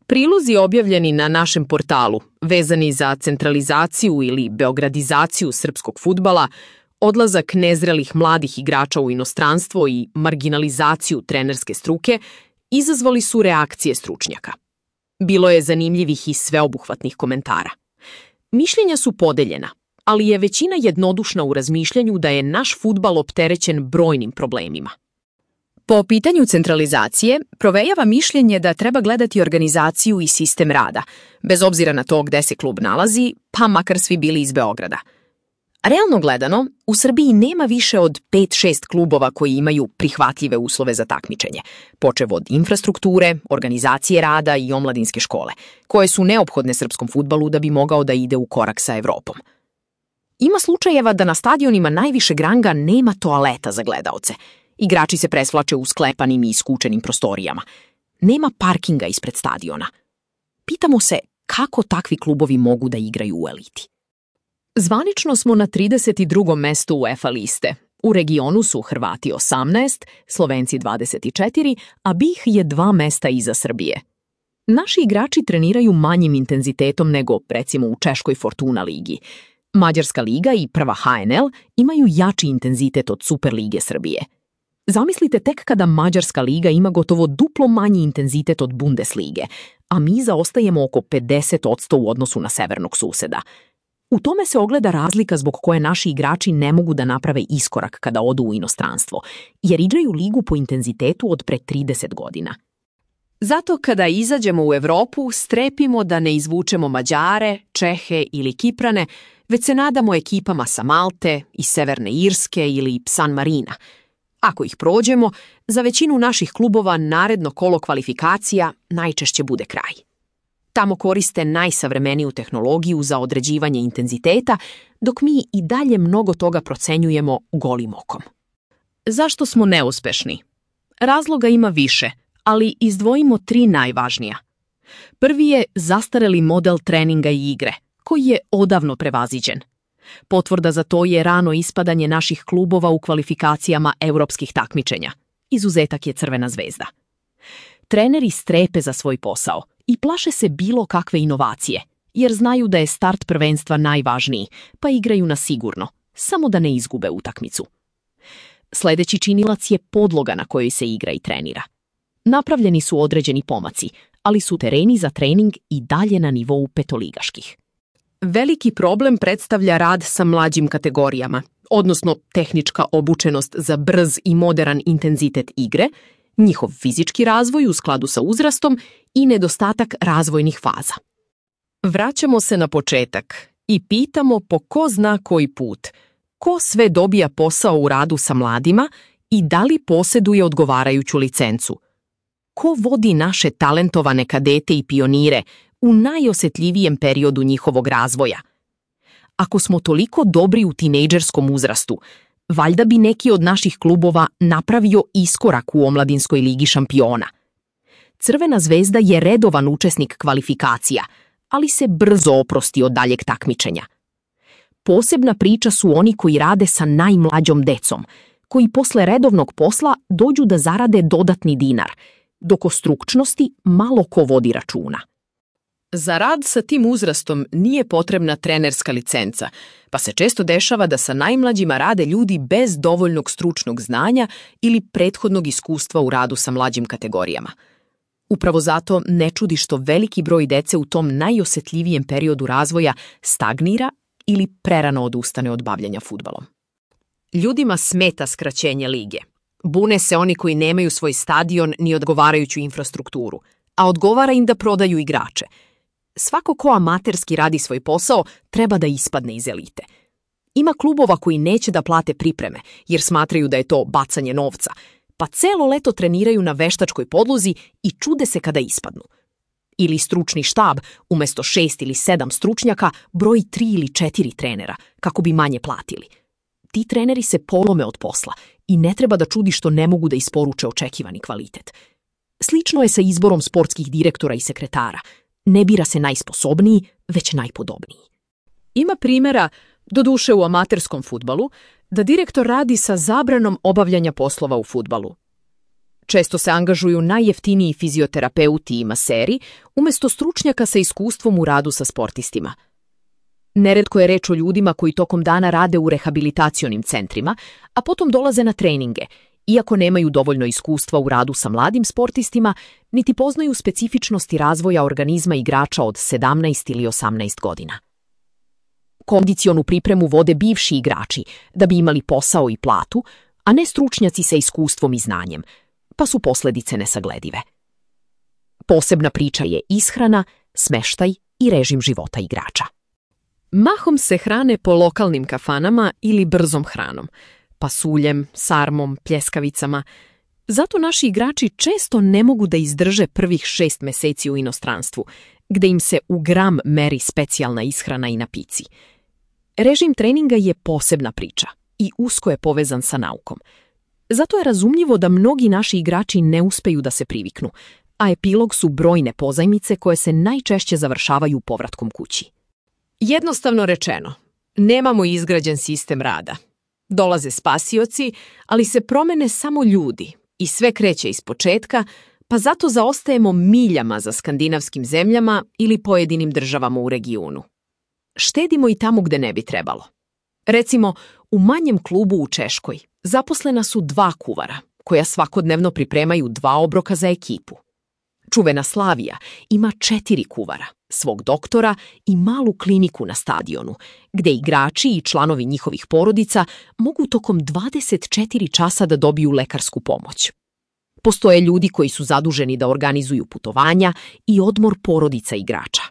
Prilozi objavljeni na našem portalu, vezani za centralizaciju ili beogradizaciju srpskog fudbala, odlazak nezrelih mladih igrača u inostranstvo i marginalizaciju trenerske struke, izazvali su reakcije stručnjaka. Bilo je zanimljivih i sveobuhvatnih komentara. Mišljenja su podeljena, ali je većina jednodušna u razmišljanju da je naš fudbal opterećen brojnim problemima. Po pitanju centralizacije, provejava mišljenje da treba gledati organizaciju i sistem rada, bez obzira na to gde se klub nalazi, pa makar svi bili iz Beograda. Realno gledano, u Srbiji nema više od 5-6 klubova koji imaju prihvatljive uslove za takmičenje, počev od infrastrukture, organizacije rada i omladinske škole, koje su neophodne srpskom fudbalu da bi mogao da ide u korak sa Evropom. Ima slučajeva da na stadionima najvišeg ranga nema toaleta za gledaoce. Igrači se presvlače u sklepanim i iskučenim prostorijama. Nema parkinga ispred stadiona. Pitamo se kako takvi klubovi mogu da igraju u eliti. Zvanično smo na 32. mestu UEFA liste. U regionu su Hrvati 18, Slovenci 24, a BiH je 2 mesta iza Srbije. Naši igrači treniraju manjim intenzitetom nego, recimo, u češkoj Fortuna ligi. Mađarska liga i prva HNL imaju jači intenzitet od Superlige Srbije. Zamislite tek kada Mađarska liga ima gotovo duplo manji intenzitet od Bundeslige, a mi zaostajemo oko 50% u odnosu na severnog suseda. U tome se ogleda razlika zbog koje naši igrači ne mogu da naprave iskorak kada odu u inostranstvo, jer igraju ligu po intenzitetu od pre 30 godina. Zato kada izađemo u Evropu, strepimo da ne izvučemo Mađare, Čehe ili Kiprane, već se nadamo ekipama sa Malte, iz Severne Irske ili San Marina. Ako ih prođemo, za većinu naših klubova naredno kolo kvalifikacija najčešće bude kraj. Tamo koriste najsavremeniju tehnologiju za određivanje intenziteta, dok mi i dalje mnogo toga procenjujemo golim okom. Zašto smo neuspešni? Razloga ima više, ali izdvojimo 3 najvažnija. Prvi je zastareli model treninga i igre, koji je odavno prevaziđen. Potvrda za to je rano ispadanje naših klubova u kvalifikacijama europskih takmičenja. Izuzetak je Crvena zvezda. Treneri strepe za svoj posao i plaše se bilo kakve inovacije, jer znaju da je start prvenstva najvažniji, pa igraju na sigurno, samo da ne izgube utakmicu. Sledeći činilac je podloga na kojoj se igra i trenira. Napravljeni su određeni pomaci, ali su tereni za trening i dalje na nivou petoligaških. Veliki problem predstavlja rad sa mlađim kategorijama, odnosno tehnička obučenost za brz i moderan intenzitet igre, njihov fizički razvoj u skladu sa uzrastom i nedostatak razvojnih faza. Vraćamo se na početak i pitamo po ko zna koji put, ko sve dobija posao u radu sa mladima i da li posjeduje odgovarajuću licencu. Ko vodi naše talentovane kadete i pionire u najosetljivijem periodu njihovog razvoja? Ako smo toliko dobri u tinejdžerskom uzrastu, valjda bi neki od naših klubova napravio iskorak u omladinskoj ligi šampiona. Crvena zvezda je redovan učesnik kvalifikacija, ali se brzo oprosti od daljeg takmičenja. Posebna priča su oni koji rade sa najmlađom decom, koji posle redovnog posla dođu da zarade dodatni dinar, dok o stručnosti malo ko vodi računa. Za rad sa tim uzrastom nije potrebna trenerska licenca, pa se često dešava da sa najmlađima rade ljudi bez dovoljnog stručnog znanja ili prethodnog iskustva u radu sa mlađim kategorijama. Upravo zato ne čudi što veliki broj dece u tom najosetljivijem periodu razvoja stagnira ili prerano odustane od bavljenja fudbalom. Ljudima smeta skraćenje lige. Bune se oni koji nemaju svoj stadion ni odgovarajuću infrastrukturu, a odgovara im da prodaju igrače. Svako ko amaterski radi svoj posao treba da ispadne iz elite. Ima klubova koji neće da plate pripreme jer smatraju da je to bacanje novca, pa celo leto treniraju na veštačkoj podlozi i čude se kada ispadnu. Ili stručni štab, umesto 6 ili 7 stručnjaka, broji 3 ili 4 trenera, kako bi manje platili. Ti treneri se polome od posla i ne treba da čudi što ne mogu da isporuče očekivani kvalitet. Slično je sa izborom sportskih direktora i sekretara. Ne bira se najsposobniji, već najpodobniji. Ima primjera, doduše u amaterskom fudbalu, da direktor radi sa zabranom obavljanja poslova u fudbalu. Često se angažuju najjeftiniji fizioterapeuti i maseri, umjesto stručnjaka sa iskustvom u radu sa sportistima. Neretko je reč o ljudima koji tokom dana rade u rehabilitacionim centrima, a potom dolaze na treninge, iako nemaju dovoljno iskustva u radu sa mladim sportistima, niti poznaju specifičnosti razvoja organizma igrača od 17 ili 18 godina. Kondicionu pripremu vode bivši igrači da bi imali posao i platu, a ne stručnjaci sa iskustvom i znanjem, pa su posljedice nesagledive. Posebna priča je ishrana, smeštaj i režim života igrača. Mahom se hrane po lokalnim kafanama ili brzom hranom, pasuljem, sarmom, pljeskavicama. Zato naši igrači često ne mogu da izdrže prvih 6 meseci u inostranstvu, gde im se u gram meri specijalna ishrana i napici. Režim treninga je posebna priča i usko je povezan sa naukom. Zato je razumljivo da mnogi naši igrači ne uspeju da se priviknu, a epilog su brojne pozajmice koje se najčešće završavaju povratkom kući. Jednostavno rečeno, nemamo izgrađen sistem rada. Dolaze spasioci, ali se promene samo ljudi i sve kreće iz početka, pa zato zaostajemo miljama za skandinavskim zemljama ili pojedinim državama u regionu. Štedimo i tamo gde ne bi trebalo. Recimo, u manjem klubu u Češkoj zaposlena su 2 kuvara, koja svakodnevno pripremaju 2 obroka za ekipu. Čuvena Slavija ima 4 kuvara, svog doktora i malu kliniku na stadionu, gde igrači i članovi njihovih porodica mogu tokom 24 časa da dobiju lekarsku pomoć. Postoje ljudi koji su zaduženi da organizuju putovanja i odmor porodica igrača.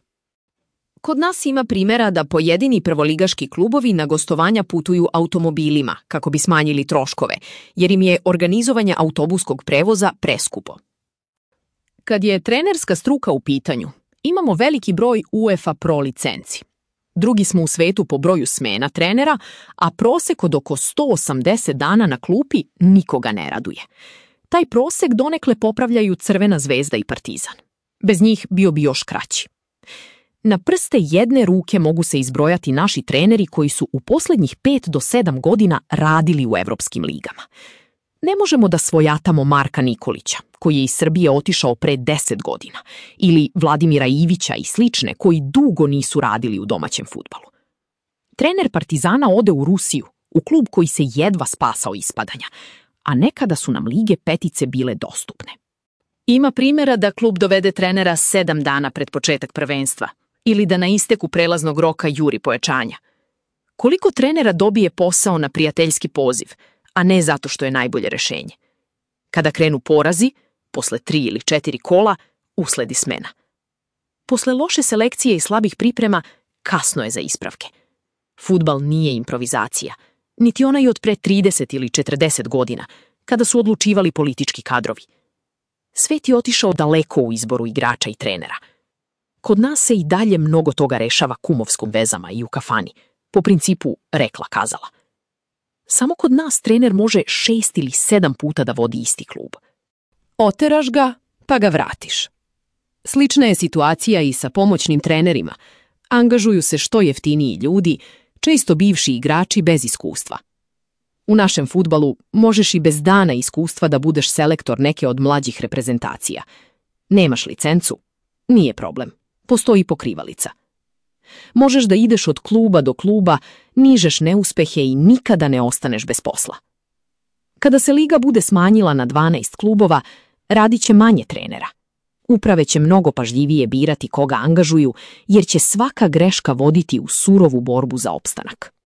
Kod nas ima primjera da pojedini prvoligaški klubovi na gostovanja putuju automobilima kako bi smanjili troškove, jer im je organizovanje autobuskog prevoza preskupo. Kad je trenerska struka u pitanju, imamo veliki broj UEFA Pro licenci. Drugi smo u svetu po broju smena trenera, a prosek od oko 180 dana na klupi nikoga ne raduje. Taj prosek donekle popravljaju Crvena zvezda i Partizan. Bez njih bio bi još kraći. Na prste jedne ruke mogu se izbrojati naši treneri koji su u posljednjih 5 do 7 godina radili u evropskim ligama. Ne možemo da svojatamo Marka Nikolića, koji je iz Srbije otišao pre 10 godina, ili Vladimira Ivića i slične koji dugo nisu radili u domaćem fudbalu. Trener Partizana ode u Rusiju, u klub koji se jedva spasao ispadanja, a nekada su nam lige petice bile dostupne. Ima primjera da klub dovede trenera 7 dana pred početak prvenstva, ili da na isteku prelaznog roka juri pojačanja. Koliko trenera dobije posao na prijateljski poziv, a ne zato što je najbolje rešenje? Kada krenu porazi, posle 3 ili 4 kola, usledi smena. Posle loše selekcije i slabih priprema, kasno je za ispravke. Fudbal nije improvizacija, niti onaj od pre 30 ili 40 godina, kada su odlučivali politički kadrovi. Svet je otišao daleko u izboru igrača i trenera. Kod nas se i dalje mnogo toga rešava kumovskom vezama i u kafani, po principu rekla kazala. Samo kod nas trener može 6 ili 7 puta da vodi isti klub. Oteraš ga, pa ga vratiš. Slična je situacija i sa pomoćnim trenerima. Angažuju se što jeftiniji ljudi, često bivši igrači bez iskustva. U našem fudbalu možeš i bez dana iskustva da budeš selektor neke od mlađih reprezentacija. Nemaš licencu? Nije problem. Postoji pokrivalica. Možeš da ideš od kluba do kluba, nižeš neuspehe i nikada ne ostaneš bez posla. Kada se liga bude smanjila na 12 klubova, radit će manje trenera. Uprave će mnogo pažljivije birati koga angažuju, jer će svaka greška voditi u surovu borbu za opstanak.